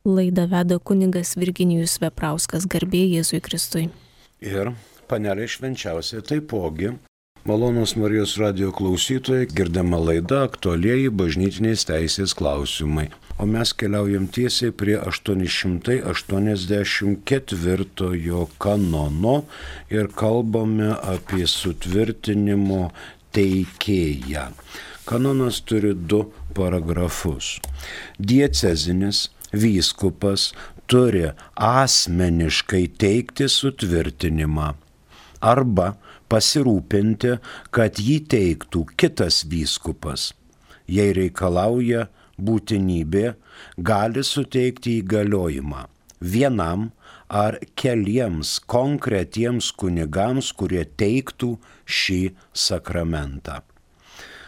Laidą veda kunigas Virginijus Veprauskas, garbė Jėzui Kristui. Ir panelė švenčiausia taipogi. Malonūs Marijos radijo klausytojai, girdama laida aktualieji bažnytinės teisės klausimai. O mes keliaujam tiesiai prie 884 kanono ir kalbame apie sutvirtinimo teikėją. Kanonas turi 2 paragrafus. Diecezinis vyskupas turi asmeniškai teikti sutvirtinimą arba pasirūpinti, kad jį teiktų kitas vyskupas. Jei reikalauja būtinybė, gali suteikti įgaliojimą vienam ar keliems konkretiems kunigams, kurie teiktų šį sakramentą.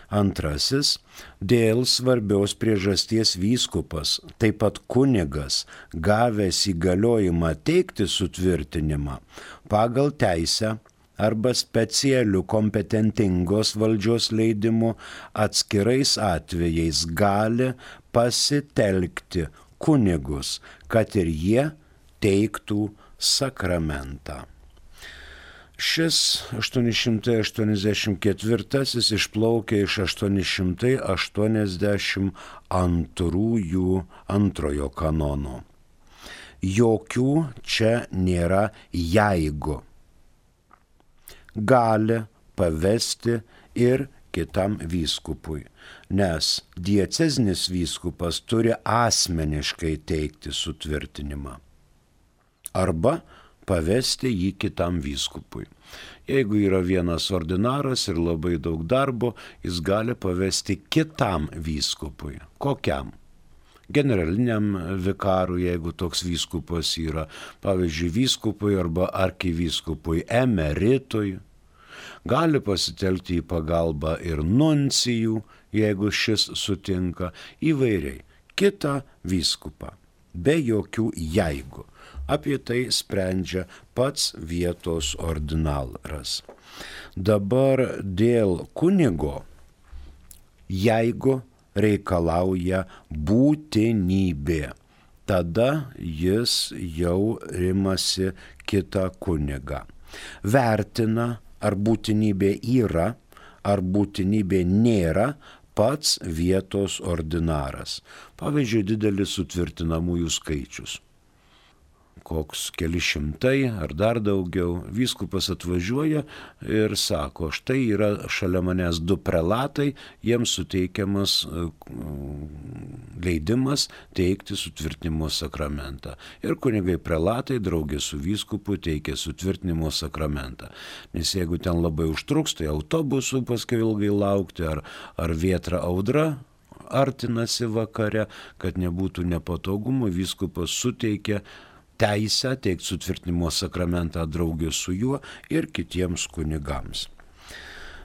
Antrasis, dėl svarbios priežasties vyskupas, taip pat kunigas, gavęs įgaliojimą teikti sutvirtinimą pagal teisę arba specialių kompetentingos valdžios leidimų atskirais atvejais gali pasitelkti kunigus, kad ir jie teiktų sakramentą. Šis 884 išplaukia iš 882 kanono. Jokių čia nėra jeigu. Gali pavesti ir kitam vyskupui, nes diecezinis vyskupas turi asmeniškai teikti sutvirtinimą arba pavesti jį kitam vyskupui. Jeigu yra vienas ordinaras ir labai daug darbo, jis gali pavesti kitam vyskupui. Kokiam? Generaliniam vikarui, jeigu toks vyskupas yra, pavyzdžiui, vyskupui arba arkivyskupui emeritui. Gali pasitelkti į pagalbą ir nuncijų, jeigu šis sutinka, įvairiai. Kitą vyskupą, be jokių jeigu. Apie tai sprendžia pats vietos ordinaras. Dabar dėl kunigo, jeigu reikalauja būtinybė, tada jis jau imasi kitą kunigą. Vertina, ar būtinybė yra, ar būtinybė nėra pats vietos ordinaras. Pavyzdžiui, didelis sutvirtinamųjų skaičius. Koks keli šimtai ar dar daugiau, vyskupas atvažiuoja ir sako, štai yra šalia manęs 2 prelatai, jiems suteikiamas leidimas teikti sutvirtinimo sakramentą. Ir kunigai prelatai draugė su vyskupu teikia sutvirtinimo sakramentą. Nes jeigu ten labai užtruks, tai autobusų paskui ilgai laukti, ar vėtra audra artinasi vakare, kad nebūtų nepatogumų, vyskupas suteikia teisę teikti sutvirtinimo sakramentą draugė su juo ir kitiems kunigams.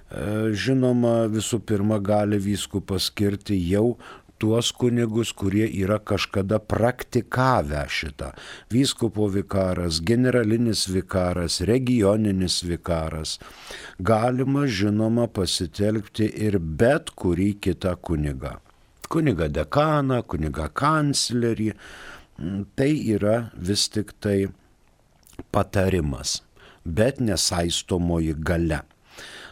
Žinoma, visų pirma, gali vyskupas skirti jau tuos kunigus, kurie yra kažkada praktikavę šitą. Vyskupo vikaras, generalinis vikaras, regioninis vikaras. Galima, žinoma, pasitelkti ir bet kurį kitą kunigą. Kunigą dekaną, kunigą kanclerį. Tai yra vis tik tai patarimas, bet nesaistomoji galia.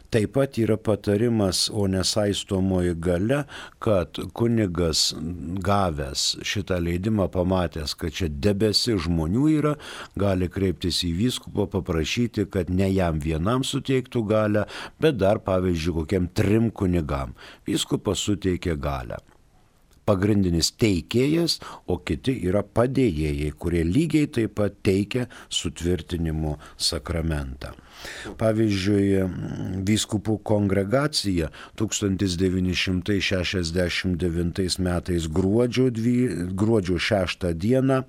Taip pat yra patarimas, o nesaistomoji galia, kad kunigas gavęs šitą leidimą, pamatęs, kad čia debesi žmonių yra, gali kreiptis į vyskupą, paprašyti, kad ne jam vienam suteiktų galią, bet dar, pavyzdžiui, kokiam 3 kunigam. Vyskupas suteikia galią. Pagrindinis teikėjas, o kiti yra padėjėjai, kurie lygiai taip pat teikia sutvirtinimo sakramentą. Pavyzdžiui, vyskupų kongregacija 1969 metais gruodžio 6 dieną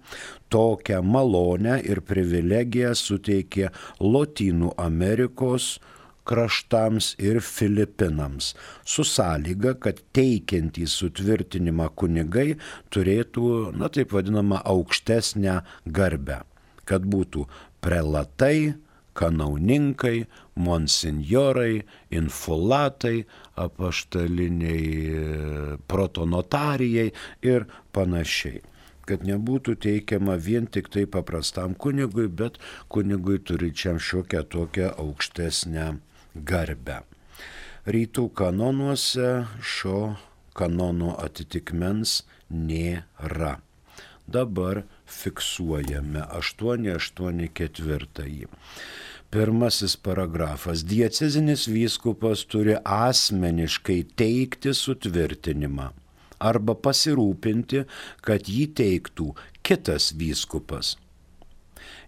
tokią malonę ir privilegiją suteikė Lotynų Amerikos kraštams ir Filipinams, su sąlyga, kad teikiantys sutvirtinimą kunigai turėtų, taip vadinamą, aukštesnę garbę, kad būtų prelatai, kanauninkai, monsinjorai, infulatai, apaštaliniai protonotarijai ir panašiai. kad nebūtų teikiama vien tik tai paprastam kunigui, bet kunigui turinčiam šiokią tokią aukštesnę garbę. Rytų kanonuose šio kanono atitikmens nėra. Dabar fiksuojame 884. Pirmasis paragrafas. Diecezinis vyskupas turi asmeniškai teikti sutvirtinimą arba pasirūpinti, kad jį teiktų kitas vyskupas.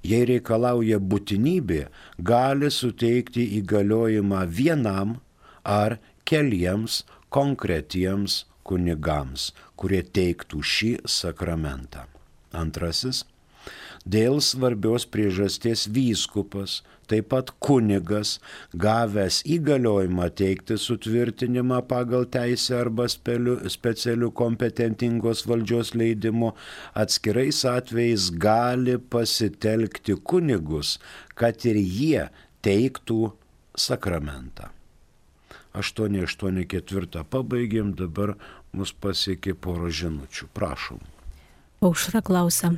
Jei reikalauja būtinybė, gali suteikti įgaliojimą vienam ar keliems konkretiems kunigams, kurie teiktų šį sakramentą. Antrasis. Dėl svarbios priežasties vyskupas, taip pat kunigas, gavęs įgaliojimą teikti sutvirtinimą pagal teisę arba specialių kompetentingos valdžios leidimu, atskirais atvejais gali pasitelkti kunigus, kad ir jie teiktų sakramentą. 884 pabaigėm, dabar mus pasiekė poro žinučių. Prašom. Aušra klausia.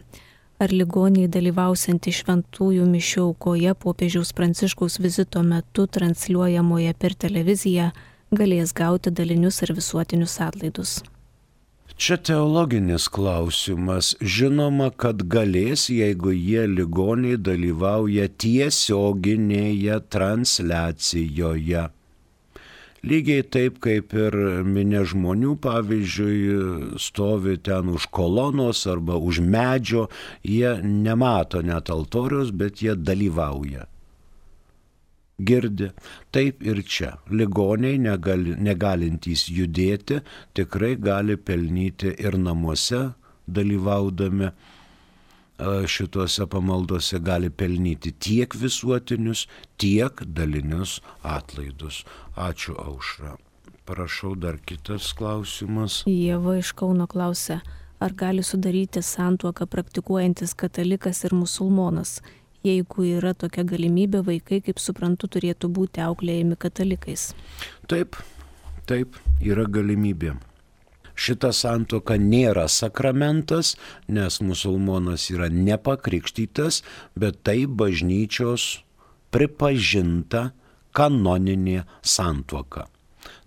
Ar ligoniai dalyvausiantys šventųjų mišių aukoje popiežiaus Pranciškaus vizito metu transliuojamoje per televiziją galės gauti dalinius ar visuotinius atlaidus? Čia teologinis klausimas. Žinoma, kad galės, jeigu jie ligoniai dalyvauja tiesioginėje transliacijoje. Lygiai taip, kaip ir minia žmonių, pavyzdžiui, stovi ten už kolonos arba už medžio, jie nemato net altoriaus, bet jie dalyvauja. Girdi. Taip ir čia. Ligoniai negalintys judėti tikrai gali pelnyti ir namuose dalyvaudami. Šituose pamaldose gali pelnyti tiek visuotinius, tiek dalinius atlaidus. Ačiū, Aušra. Prašau, dar kitas klausimas. Ieva iš Kauno klausia, ar gali sudaryti santuoką praktikuojantis katalikas ir musulmonas? Jeigu yra tokia galimybė, vaikai, kaip suprantu, turėtų būti auklėjami katalikais. Taip, yra galimybė. Šita santuoka nėra sakramentas, nes musulmonas yra nepakrikštytas, bet tai bažnyčios pripažinta kanoninė santuoka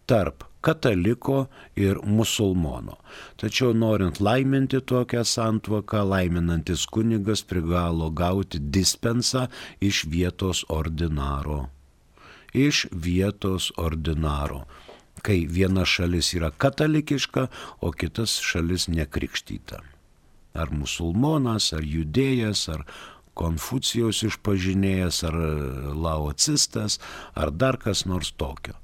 tarp kataliko ir musulmono. Tačiau norint laiminti tokią santuoką, laiminantis kunigas privalo gauti dispensą iš vietos ordinaro. Kai viena šalis yra katalikiška, o kitas šalis nekrikštyta. Ar musulmonas, ar judėjas, ar Konfucijaus išpažinėjas, ar laocistas, ar dar kas nors tokio.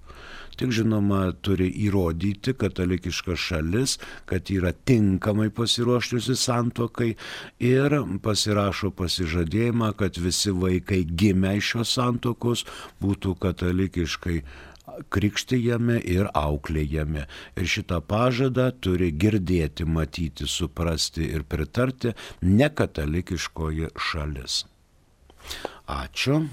Tik žinoma, turi įrodyti katalikiška šalis, kad yra tinkamai pasiruošusi santuokai ir pasirašo pasižadėjimą, kad visi vaikai gimę iš šios santuokos būtų katalikiškai krikštijami ir auklėjami. Ir šitą pažadą turi girdėti, matyti, suprasti ir pritarti nekatalikiškoji šalis. Ačiū.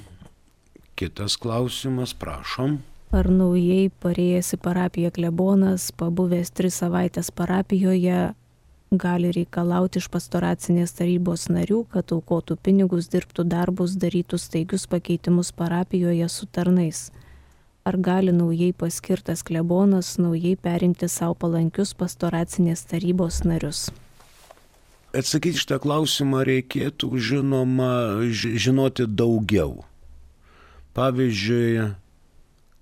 Kitas klausimas, prašom. Ar naujai parėjęs į parapiją klebonas, pabuvęs 3 savaitės parapijoje, gali reikalauti iš pastoracinės tarybos narių, kad aukotų pinigus, dirbtų darbus, darytų staigius pakeitimus parapijoje su tarnais? Ar gali naujai paskirtas klebonas naujai perinkti savo palankius pastoracinės tarybos narius? Atsakyti šitą klausimą reikėtų, žinoma, žinoti daugiau. Pavyzdžiui,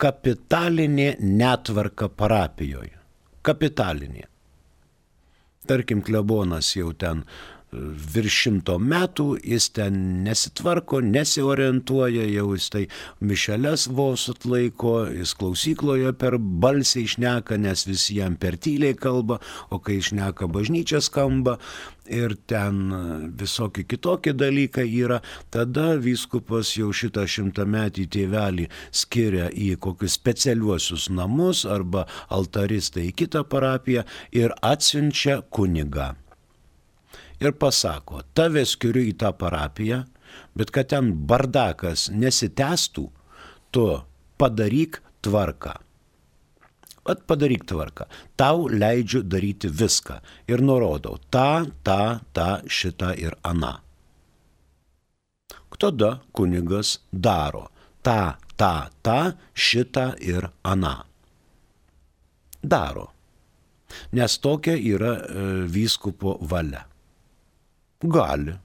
kapitalinė netvarka parapijoje. Kapitalinė. Tarkim, klebonas jau ten virš 100 metų, jis ten nesitvarko, nesiorientuoja, jau jis tai mišeles vos atlaiko, jis klausykloje per balsiai šneka, nes visi jam per tyliai kalba, o kai šneka bažnyčia skamba ir ten visokie kitokie dalykai yra, tada vyskupas jau šitą 100-metį tėvelį skiria į kokius specialiuosius namus arba altaristą į kitą parapiją ir atsiunčia kunigą. Ir pasako, tave skiriu į tą parapiją, bet kad ten bardakas nesitęstų, tu padaryk tvarką. At padaryk tvarką. Tau leidžiu daryti viską. Ir nurodau tą, šitą ir aną. Tada kunigas daro tą, šitą ir aną. Daro. Nes tokia yra vyskupo valia. Gali.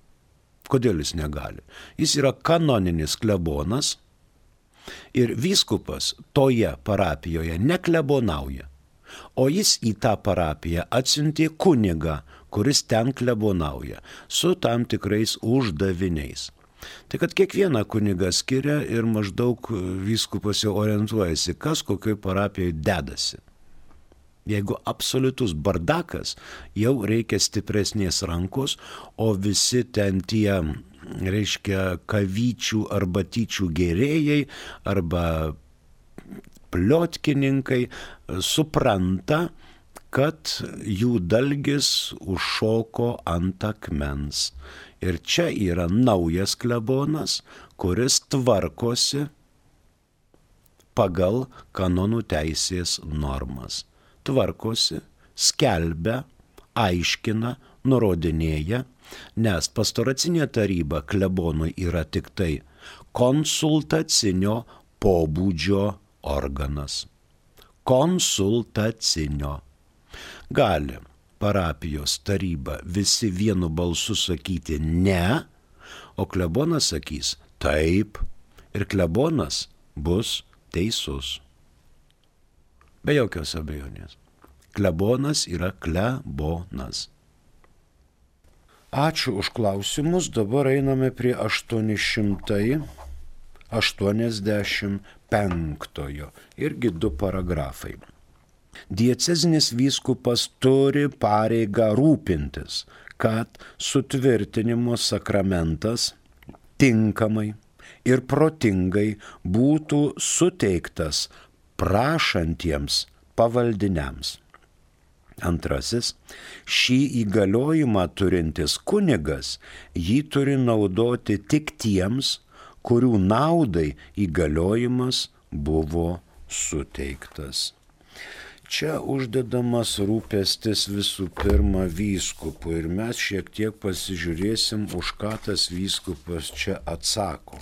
Kodėl jis negali? Jis yra kanoninis klebonas ir vyskupas toje parapijoje neklebonauja, o jis į tą parapiją atsiuntė kunigą, kuris ten klebonauja, su tam tikrais uždaviniais. Tai kad kiekvieną kunigą skiria ir maždaug vyskupas jau orientuojasi, kas kokioj parapijoje dedasi. Jeigu absoliutus bardakas, jau reikia stipresnės rankos, o visi ten tie, reiškia, kavyčių arba tyčių gėrėjai arba pliotkininkai supranta, kad jų dalgis užšoko ant akmens. Ir čia yra naujas klebonas, kuris tvarkosi pagal kanonų teisės normas. Tvarkosi, skelbia, aiškina, nurodinėja, nes pastoracinė taryba klebonui yra tik tai konsultacinio pobūdžio organas. Konsultacinio. Gali parapijos taryba visi vienu balsu sakyti ne, o klebonas sakys taip ir klebonas bus teisus. Be jokios abejonės. Klebonas yra klebonas. Ačiū už klausimus. Dabar einame prie 885. Irgi 2 paragrafai. Diecezinis vyskupas turi pareigą rūpintis, kad sutvirtinimo sakramentas tinkamai ir protingai būtų suteiktas prašantiems pavaldiniams. Antrasis, šį įgaliojimą turintis kunigas jį turi naudoti tik tiems, kurių naudai įgaliojimas buvo suteiktas. Čia uždedamas rūpestis visų pirma vyskupui ir mes šiek tiek pasižiūrėsim, už ką tas vyskupas čia atsako.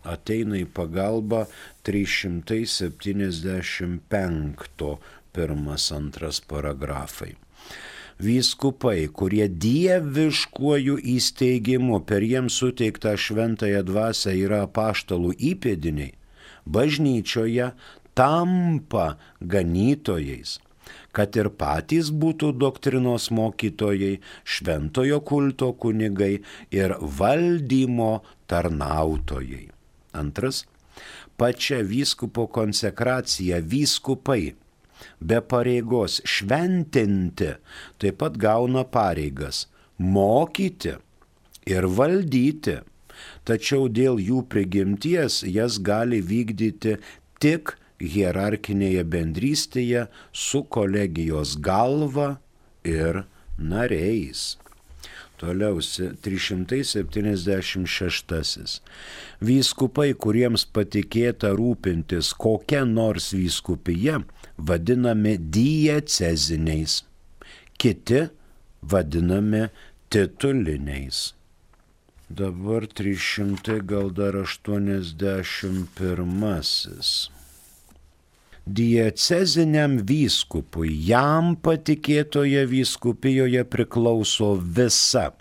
Ateina į pagalbą 375 1-2 paragrafai. Vyskupai, kurie dieviškuoju įsteigimu per jiems suteiktą šventąją dvasią yra apaštalų įpėdiniai, bažnyčioje tampa ganytojais, kad ir patys būtų doktrinos mokytojai, šventojo kulto kunigai ir valdymo tarnautojai. Antras, pačia vyskupo konsekracija vyskupai be pareigos šventinti taip pat gauna pareigas mokyti ir valdyti, tačiau dėl jų prigimties jas gali vykdyti tik hierarchinėje bendrystėje su kolegijos galva ir nariais. Toliau 376. Vyskupai, kuriems patikėta rūpintis kokia nors vyskupija, vadinami dieceziniais, kiti vadinami tituliniais. Dabar 381. Dieceziniam vyskupui jam patikėtoje vyskupijoje priklauso visa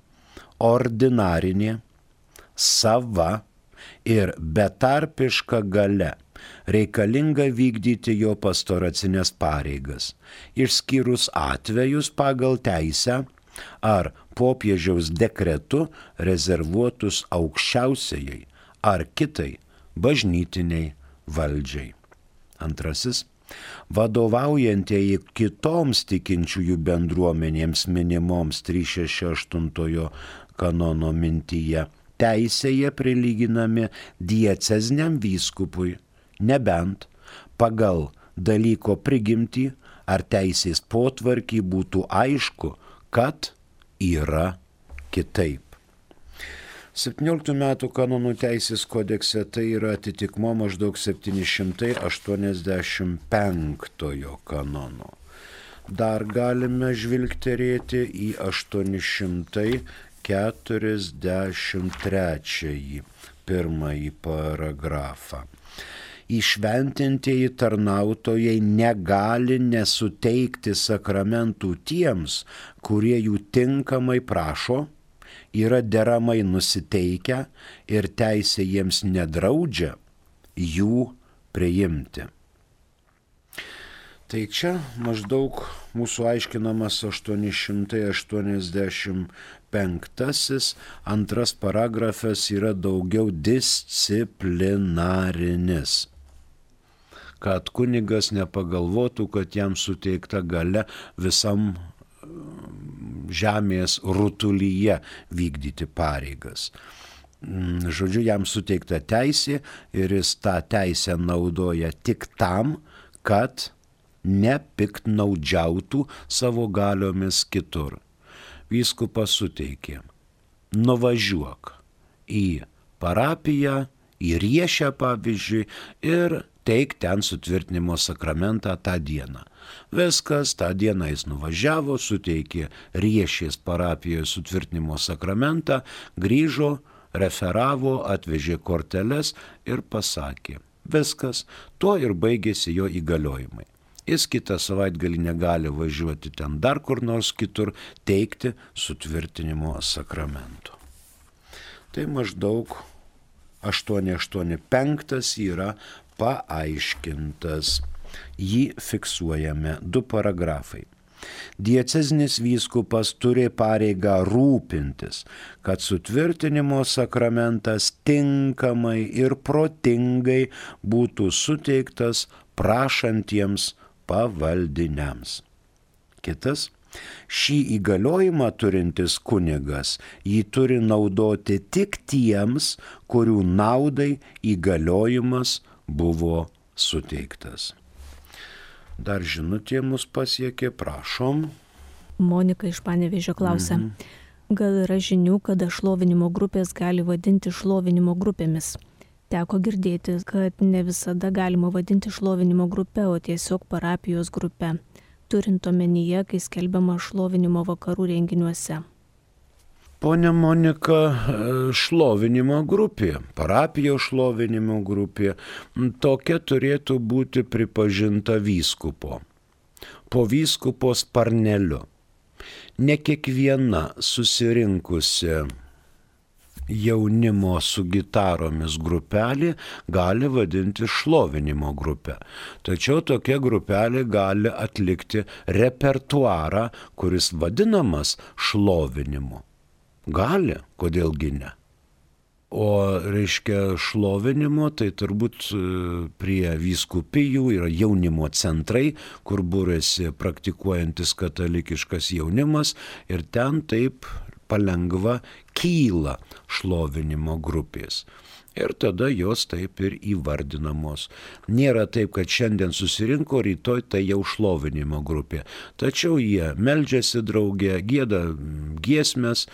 ordinarinė, sava ir betarpiška galia, reikalinga vykdyti jo pastoracinės pareigas, išskyrus atvejus pagal teisę ar popiežiaus dekretu rezervuotus aukščiausiai ar kitai bažnytiniai valdžiai. Antrasis, vadovaujantieji kitoms tikinčiųjų bendruomenėms minimoms 368 kanono mintyje teisėje prilyginami dieceziniam vyskupui, nebent pagal dalyko prigimtį ar teisės potvarkį būtų aišku, kad yra kitaip. 17 metų kanonų teisės kodekse tai yra atitikmo maždaug 785 kanono. Dar galime žvilgterėti į 843 pirmąjį paragrafą. Įšventintieji tarnautojai negali nesuteikti sakramentų tiems, kurie jų tinkamai prašo, yra deramai nusiteikę ir teisė jiems nedraudžia jų priimti. Tai čia maždaug mūsų aiškinamas 885 antras paragrafas yra daugiau disciplinarinis, kad kunigas nepagalvotų, kad jam suteikta galia visam žemės rutulyje vykdyti pareigas. Žodžiu, jam suteikta teisė ir jis tą teisę naudoja tik tam, kad nepiktnaudžiautų savo galiomis kitur. Vyskupas suteikė: nuvažiuok į parapiją, į Riešę pavyzdžiui, ir teik ten sutvirtinimo sakramentą tą dieną. Viskas, tą dieną jis nuvažiavo, suteikė Riešės parapijoje sutvirtinimo sakramentą, grįžo, referavo, atvežė korteles ir pasakė: viskas, tuo ir baigėsi jo įgaliojimai. Jis kitą savaitgalį negali važiuoti ten dar kur nors kitur teikti sutvirtinimo sakramento. Tai maždaug 885 yra paaiškintas. Jį fiksuojame 2 paragrafai. Diecezinis vyskupas turi pareigą rūpintis, kad sutvirtinimo sakramentas tinkamai ir protingai būtų suteiktas prašantiems pavaldiniams. Kitas: šį įgaliojimą turintis kunigas jį turi naudoti tik tiems, kurių naudai įgaliojimas buvo suteiktas. Dar žinutė mus pasiekė, prašom. Monika iš Panevėžio klausia. Gal yra žinių, kada šlovinimo grupės gali vadinti šlovinimo grupėmis? Teko girdėti, kad ne visada galima vadinti šlovinimo grupe, o tiesiog parapijos grupe, turint omenyje, kai skelbiama šlovinimo vakarų renginiuose. Pone Monika, šlovinimo grupė, parapijos šlovinimo grupė, tokia turėtų būti pripažinta vyskupo, po vyskupo sparneliu. Ne kiekviena susirinkusi jaunimo su gitaromis grupelė gali vadinti šlovinimo grupę. Tačiau tokia grupelė gali atlikti repertuarą, kuris vadinamas šlovinimu. Gali, kodėlgi ne. O reiškia šlovinimo, tai turbūt prie vyskupijų yra jaunimo centrai, kur būrėsi praktikuojantis katalikiškas jaunimas ir ten taip palengva kyla šlovinimo grupės. Ir tada jos taip ir įvardinamos. Nėra taip, kad šiandien susirinko, rytoj tai jau šlovinimo grupė. Tačiau jie meldžiasi drauge, gieda giesmes,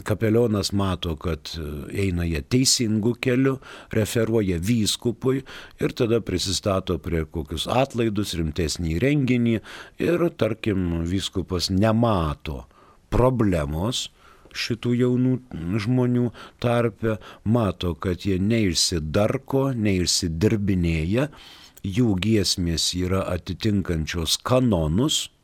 kapelionas mato, kad eina jie teisingų kelių, referuoja vyskupui ir tada prisistato prie kokius atlaidus, rimtesnį renginį ir, tarkim, vyskupas nemato problemos šitų jaunų žmonių tarpe, mato, kad jie neišsidarko, neišsidirbinėja, jų giesmės yra atitinkančios kanonus.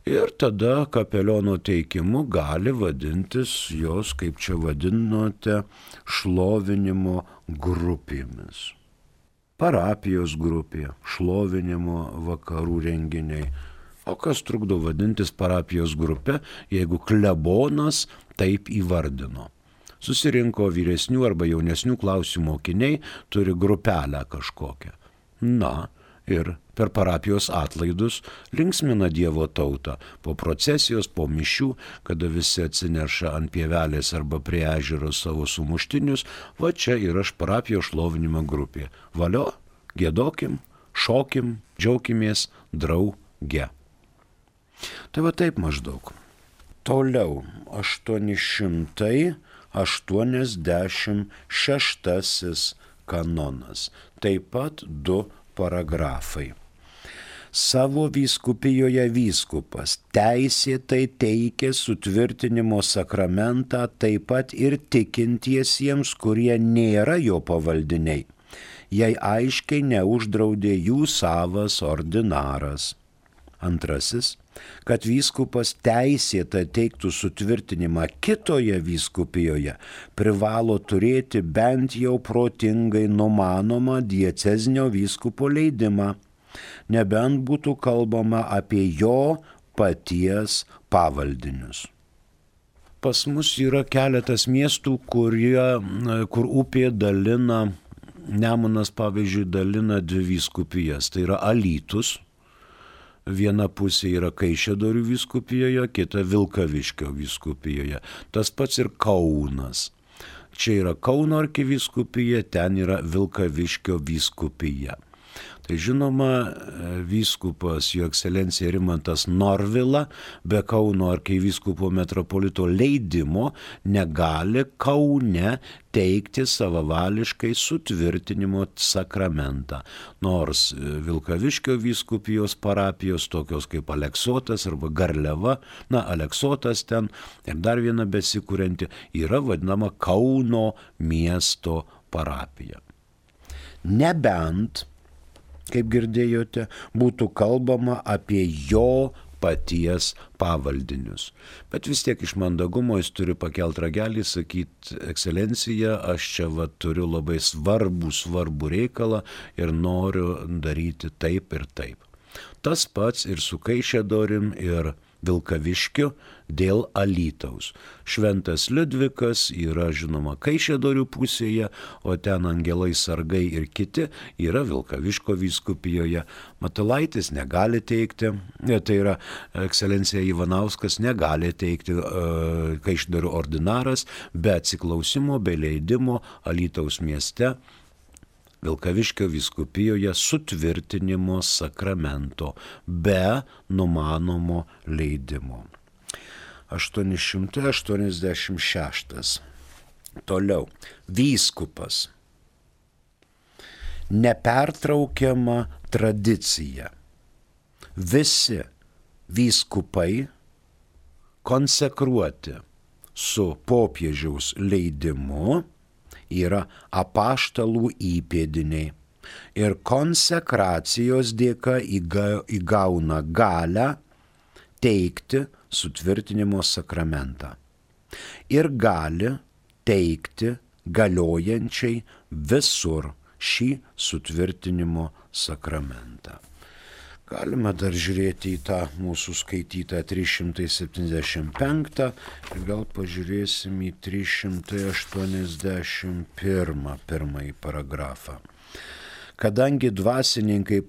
Ir tada kapeliono teikimu gali vadintis jos, kaip čia vadinote, šlovinimo grupėmis. Parapijos grupė, šlovinimo vakarų renginiai. O kas trukdo vadintis parapijos grupė, jeigu klebonas taip įvardino? Susirinko vyresnių arba jaunesnių klasių mokiniai, turi grupelę kažkokią. Na, ir per parapijos atlaidus linksmina Dievo tautą, po procesijos, po mišių, kada visi atsineša ant pievelės arba prie ežero savo sumuštinius, va čia yra parapijos šlovinimo grupė. Valio, giedokim, šokim, džiaukimės drauge. Tai va taip maždaug. Toliau 886 86 kanonas. Taip pat 2 paragrafai. Savo vyskupijoje vyskupas teisėtai teikia sutvirtinimo sakramentą taip pat ir tikintiesiems, kurie nėra jo pavaldiniai, jei aiškiai neuždraudė jų savas ordinaras. Antrasis, kad vyskupas teisėtai teiktų sutvirtinimą kitoje vyskupijoje, privalo turėti bent jau protingai numanomą diecezinio vyskupo leidimą, nebent būtų kalbama apie jo paties pavaldinius. Pas mus yra keletas miestų, kur upė dalina, Nemunas pavyzdžiui dalina 2 vyskupijas, tai yra Alytus. Viena pusė yra Kaišiadorių vyskupijoje, kita Vilkaviškio vyskupijoje. Tas pats ir Kaunas. Čia yra Kauno arkivyskupija, ten yra Vilkaviškio vyskupija. Tai žinoma, vyskupas jo ekscelencija Rimantas Norvila be Kauno arkivyskupo metropolito leidimo negali Kaune teikti savavališkai sutvirtinimo sakramentą. Nors Vilkaviškio vyskupijos parapijos, tokios kaip Aleksotas arba Garliava, Aleksotas ten ir dar viena besikūrenti, yra vadinama Kauno miesto parapija. Nebent, kaip girdėjote, būtų kalbama apie jo paties pavaldinius. Bet vis tiek iš mandagumo jis turi pakelt ragelį, sakyti, ekscelencija, aš čia turiu labai svarbų reikalą ir noriu daryti taip ir taip. Tas pats ir su Kaišiadorim ir Vilkaviškiu dėl Alytaus. Šventas Liudvikas yra žinoma Kaišiadorių pusėje, o ten angelai sargai ir kiti yra Vilkaviško vyskupijoje. Matulaitis negali teikti, tai yra ekscelencija Ivanauskas negali teikti Kaišiadorių ordinaras be atsiklausimo, be leidimo Alytaus mieste Vilkaviškio vyskupijoje sutvirtinimo sakramento be numanomo leidimo. 886. Toliau. Vyskupas. Nepertraukiama tradicija. Visi vyskupai konsekruoti su popiežiaus leidimu yra apaštalų įpėdiniai ir konsekracijos dėka įgauna galią teikti sutvirtinimo sakramentą ir gali teikti galiojančiai visur šį sutvirtinimo sakramentą. Galime dar žiūrėti į tą mūsų skaitytą 375 ir gal pažiūrėsim į 381 pirmąjį paragrafą. Kadangi dvasininkai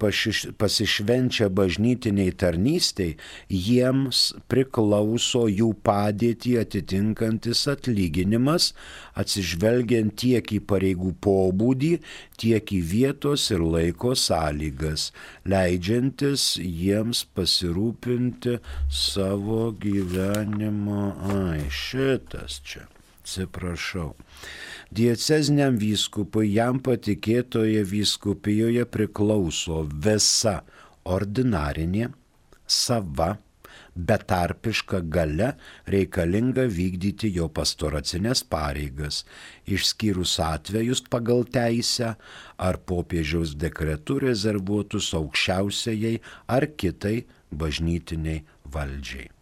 pasišvenčia bažnytiniai tarnystei, jiems priklauso jų padėtį atitinkantis atlyginimas, atsižvelgiant tiek į pareigų pobūdį, tiek į vietos ir laiko sąlygas, leidžiantis jiems pasirūpinti savo gyvenimo. Šitas čia, atsiprašau. Dieceziniam vyskupui jam patikėtoje vyskupijoje priklauso visa ordinarinė, sava, betarpiška galia reikalinga vykdyti jo pastoracinės pareigas, išskyrus atvejus pagal teisę ar popiežiaus dekretu rezervuotus aukščiausiai ar kitai bažnytiniai valdžiai.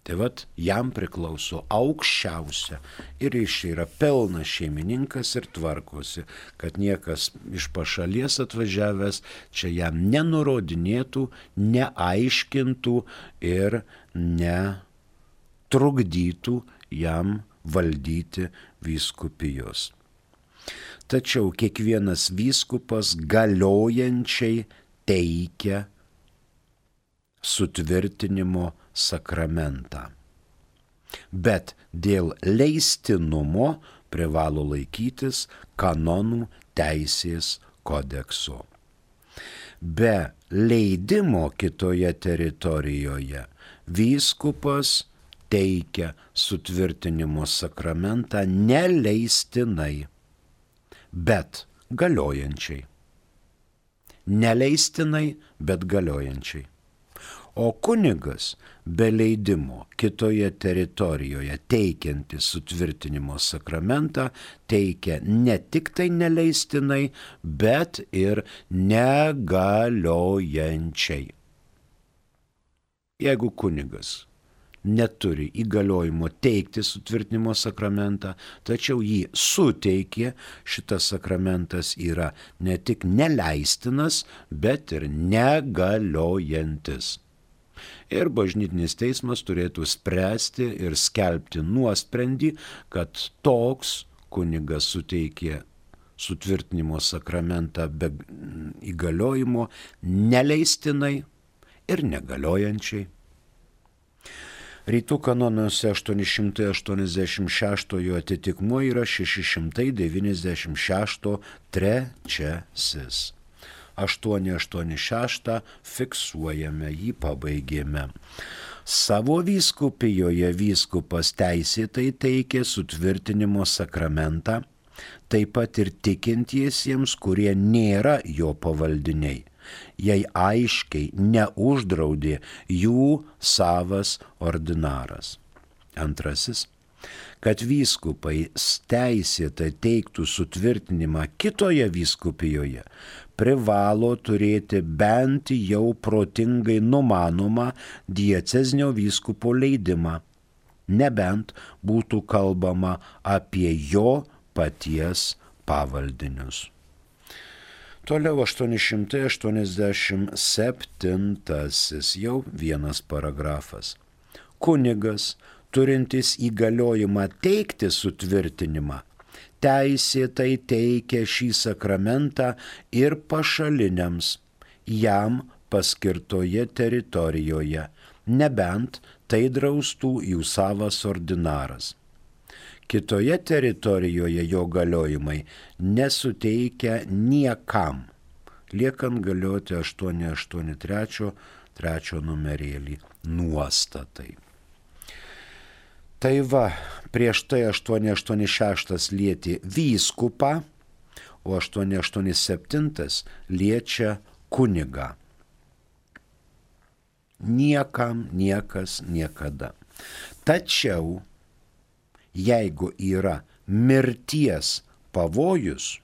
Tai jam priklauso aukščiausia ir jis yra pilnas šeimininkas ir tvarkosi, kad niekas iš pašalies atvažiavęs čia jam nenurodinėtų, neaiškintų ir netrukdytų jam valdyti vyskupijos. Tačiau kiekvienas vyskupas galiojančiai teikia sutvirtinimo sakramentą. Bet dėl leistinumo privalo laikytis kanonų teisės kodekso. Be leidimo kitoje teritorijoje vyskupas teikia sutvirtinimo sakramentą neleistinai, bet galiojančiai. Neleistinai, bet galiojančiai. O kunigas be leidimo kitoje teritorijoje teikiantis sutvirtinimo sakramentą teikia ne tik tai neleistinai, bet ir negaliojančiai. Jeigu kunigas neturi įgaliojimo teikti sutvirtinimo sakramentą, tačiau jį suteikė, šitas sakramentas yra ne tik neleistinas, bet ir negaliojantis. Ir bažnytinis teismas turėtų spręsti ir skelbti nuosprendį, kad toks kunigas suteikė sutvirtinimo sakramentą be įgaliojimo neleistinai ir negaliojančiai. Rytų kanonuose 886 atitikmuo yra 696 trečiasis. 886 fiksuojame, jį pabaigėme. Savo vyskupijoje vyskupas teisėtai teikė sutvirtinimo sakramentą, taip pat ir tikintiesiems, kurie nėra jo pavaldiniai, jei aiškiai neuždraudė jų savas ordinaras. Antrasis, kad vyskupai teisėtai teiktų sutvirtinimą kitoje vyskupijoje, privalo turėti bent jau protingai numanomą diecezinio vyskupo leidimą, nebent būtų kalbama apie jo paties pavaldinius. Toliau 887, jau vienas paragrafas. Kunigas, turintis įgaliojimą teikti sutvirtinimą, teisėtai teikia šį sakramentą ir pašaliniams jam paskirtoje teritorijoje, nebent tai draustų jų savas ordinaras. Kitoje teritorijoje jo galiojimai nesuteikia niekam, liekant galioti 883 numerėlį nuostatai. Tai va, prieš tai 886 lietė vyskupą, o 887 liečia kunigą. Niekam, niekas, niekada. Tačiau, jeigu yra mirties pavojus,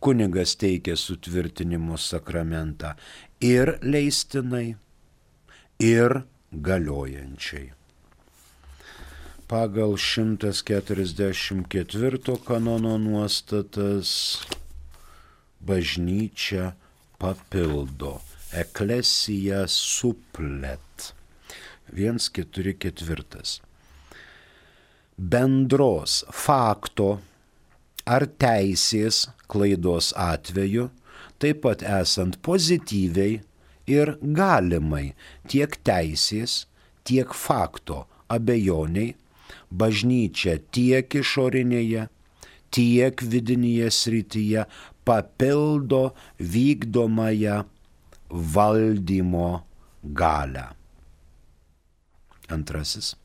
kunigas teikia sutvirtinimo sakramentą ir leistinai, ir galiojančiai. Pagal 144 kanono nuostatas bažnyčia papildo. Eklesija suplet. 144. Bendros fakto ar teisės klaidos atveju, taip pat esant pozityviai ir galimai tiek teisės, tiek fakto abejoniai, bažnyčia tiek išorinėje, tiek vidinėje srityje papildo vykdomąją valdymo galią. Antrasis.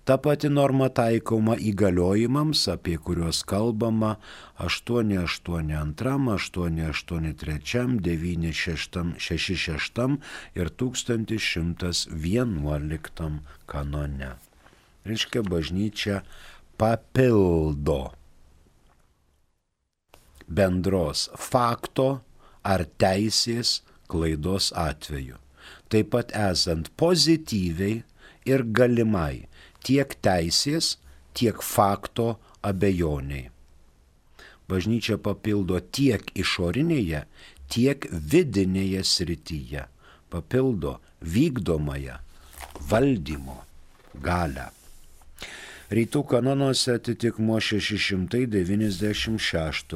Ta pati norma taikoma įgaliojimams, apie kuriuos kalbama 882, 883, 966 ir 1111 kanone. Reiškia, bažnyčia papildo bendros fakto ar teisės klaidos atveju, taip pat esant pozityviai ir galimai tiek teisės, tiek fakto abejoniai. Bažnyčia papildo tiek išorinėje, tiek vidinėje srityje, papildo vykdomąją valdymo galią. Rytų kanonuose atitikmuo 696,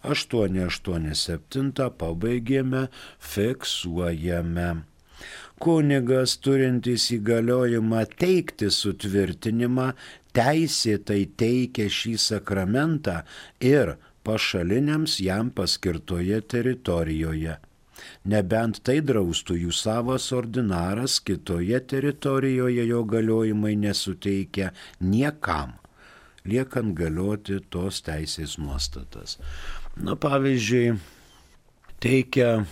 887 pabaigėme, fiksuojame. Kunigas, turintis įgaliojimą teikti sutvirtinimą, teisėtai teikia šį sakramentą ir pašaliniams jam paskirtoje teritorijoje, Nebent tai draustų jų savas ordinaras, kitoje teritorijoje jo galiojimai nesuteikia niekam, liekant galioti tos teisės nuostatas. Pavyzdžiui, teikia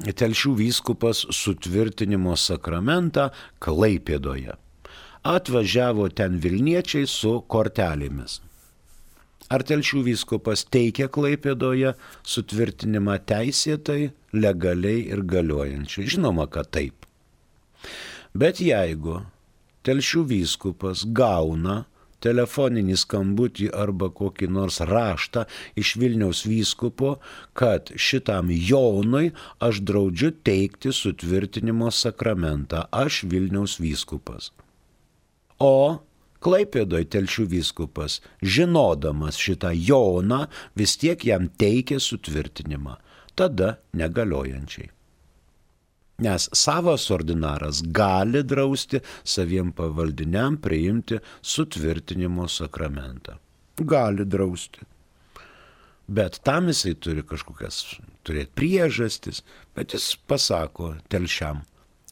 Telšių vyskupas sutvirtinimo sakramentą Klaipėdoje. Atvažiavo ten Vilniečiai su kortelėmis. Ar Telšių vyskupas teikia Klaipėdoje sutvirtinimą teisėtai, legaliai ir galiojančiai? Žinoma, kad taip. Bet jeigu Telšių vyskupas gauna telefoninį skambutį arba kokį nors raštą iš Vilniaus vyskupo, kad šitam Jonui aš draudžiu teikti sutvirtinimo sakramentą, aš Vilniaus vyskupas. O Klaipėdoje Telšių vyskupas, žinodamas šitą Joną, vis tiek jam teikė sutvirtinimą, tada negaliojančiai. Nes savas ordinaras gali drausti saviem pavaldiniam priimti sutvirtinimo sakramentą. Gali drausti. Bet tam jisai turi kažkokias turėti priežastis, bet jis pasako Telšiam.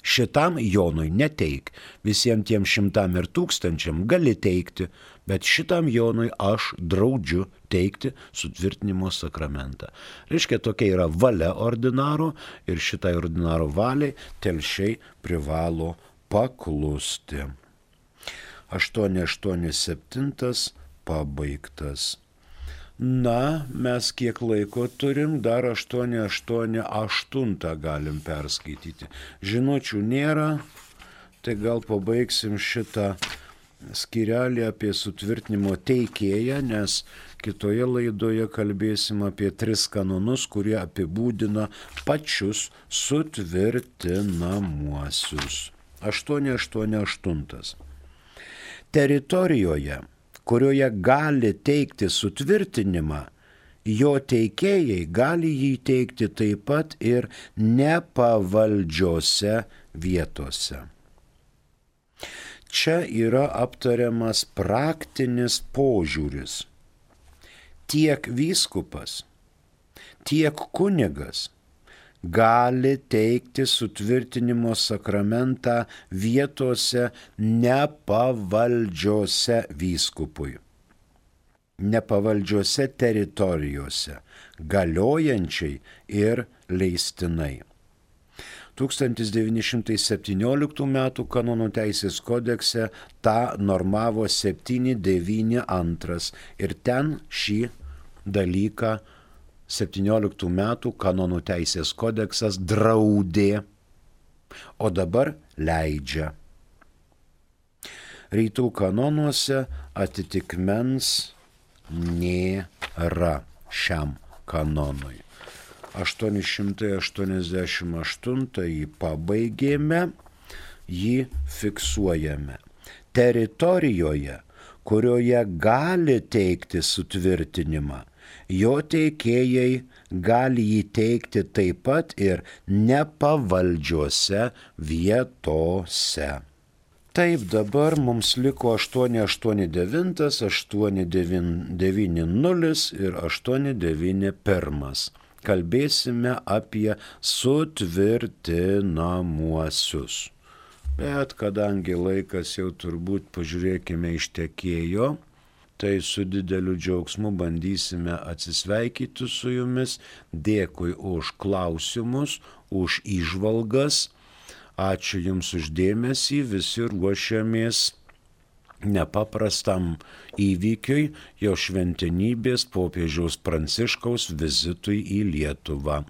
Šitam Jonui neteik, visiems tiem 100 ir 1000 gali teikti, bet šitam Jonui aš draudžiu teikti sutvirtinimo sakramentą. Reiškia, tokia yra valia ordinaro ir šitai ordinaro valiai Telšiai privalo paklusti. 887 pabaigtas. Mes kiek laiko turim, dar 888 galim perskaityti. Žinučių nėra, tai gal pabaigsim šitą skyrelį apie sutvirtinimo teikėją, nes kitoje laidoje kalbėsim apie 3 kanonus, kurie apibūdina pačius sutvirtinamuosius. 888. Teritorijoje, kurioje gali teikti sutvirtinimą, jo teikėjai gali jį teikti taip pat ir nepavaldžiose vietose. Čia yra aptariamas praktinis požiūris. Tiek vyskupas, tiek kunigas gali teikti sutvirtinimo sakramentą vietose nepavaldžiose vyskupui, nepavaldžiose teritorijose, galiojančiai ir leistinai. 1917 m. kanonų teisės kodekse tą normavo 792 ir ten šį dalyką 17 metų kanonų teisės kodeksas draudė, o dabar leidžia. Rytų kanonuose atitikmens nėra šiam kanonui. 888 pabaigėme, jį fiksuojame. Teritorijoje, kurioje gali teikti sutvirtinimą, jo teikėjai gali jį teikti taip pat ir nepavaldžiose vietose. Taip, dabar mums liko 889, 890 ir 891. Kalbėsime apie sutvirtinamuosius. Bet kadangi laikas jau turbūt pažiūrėkime ištekėjo, tai su dideliu džiaugsmu bandysime atsisveikyti su jumis. Dėkui už klausimus, už įžvalgas. Ačiū jums už dėmesį. Visi ruošiamės nepaprastam įvykiui, jo šventenybės popiežiaus Pranciškaus vizitui į Lietuvą.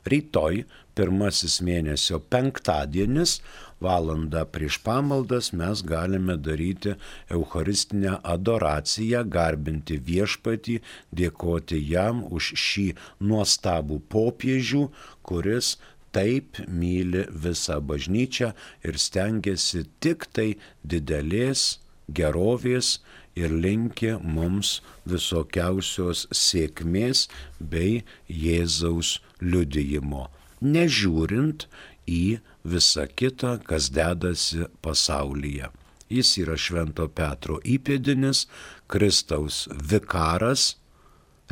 Rytoj, pirmasis mėnesio penktadienis, valandą prieš pamaldas mes galime daryti eucharistinę adoraciją, garbinti viešpatį, dėkoti jam už šį nuostabų popiežių, kuris taip myli visą bažnyčią ir stengiasi tik tai didelės gerovės ir linki mums visokiausios sėkmės bei Jėzaus liudijimo, nežiūrint į visą kitą, kas dedasi pasaulyje. Jis yra Švento Petro įpėdinis, Kristaus vikaras,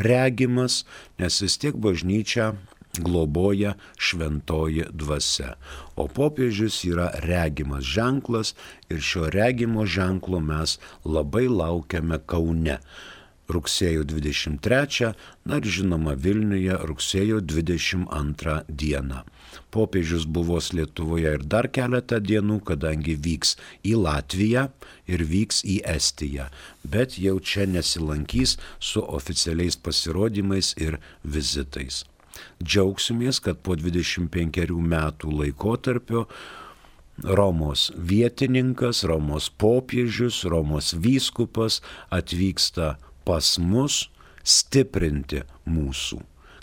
regimas, nes vis tiek bažnyčia globoja šventoji dvasia. O popiežius yra regimas ženklas ir šio regimo ženklo mes labai laukiame Kaune. Rugsėjo 23, na ir žinoma Vilniuje rugsėjo 22 dieną. Popiežius buvos Lietuvoje ir dar keletą dienų, kadangi vyks į Latviją ir vyks į Estiją, bet jau čia nesilankys su oficialiais pasirodymais ir vizitais. Džiaugsimės, kad po 25 metų laikotarpio Romos vietininkas, Romos popiežius, Romos vyskupas atvyksta pas mus stiprinti mūsų,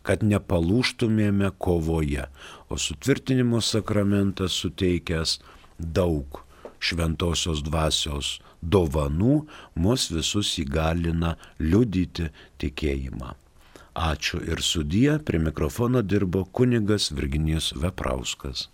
kad nepalūžtumėme kovoje, o sutvirtinimo sakramentas suteikęs daug šventosios dvasios dovanų mus visus įgalina liudyti tikėjimą. Ačiū ir sudie, prie mikrofono dirbo kunigas Virginijus Veprauskas.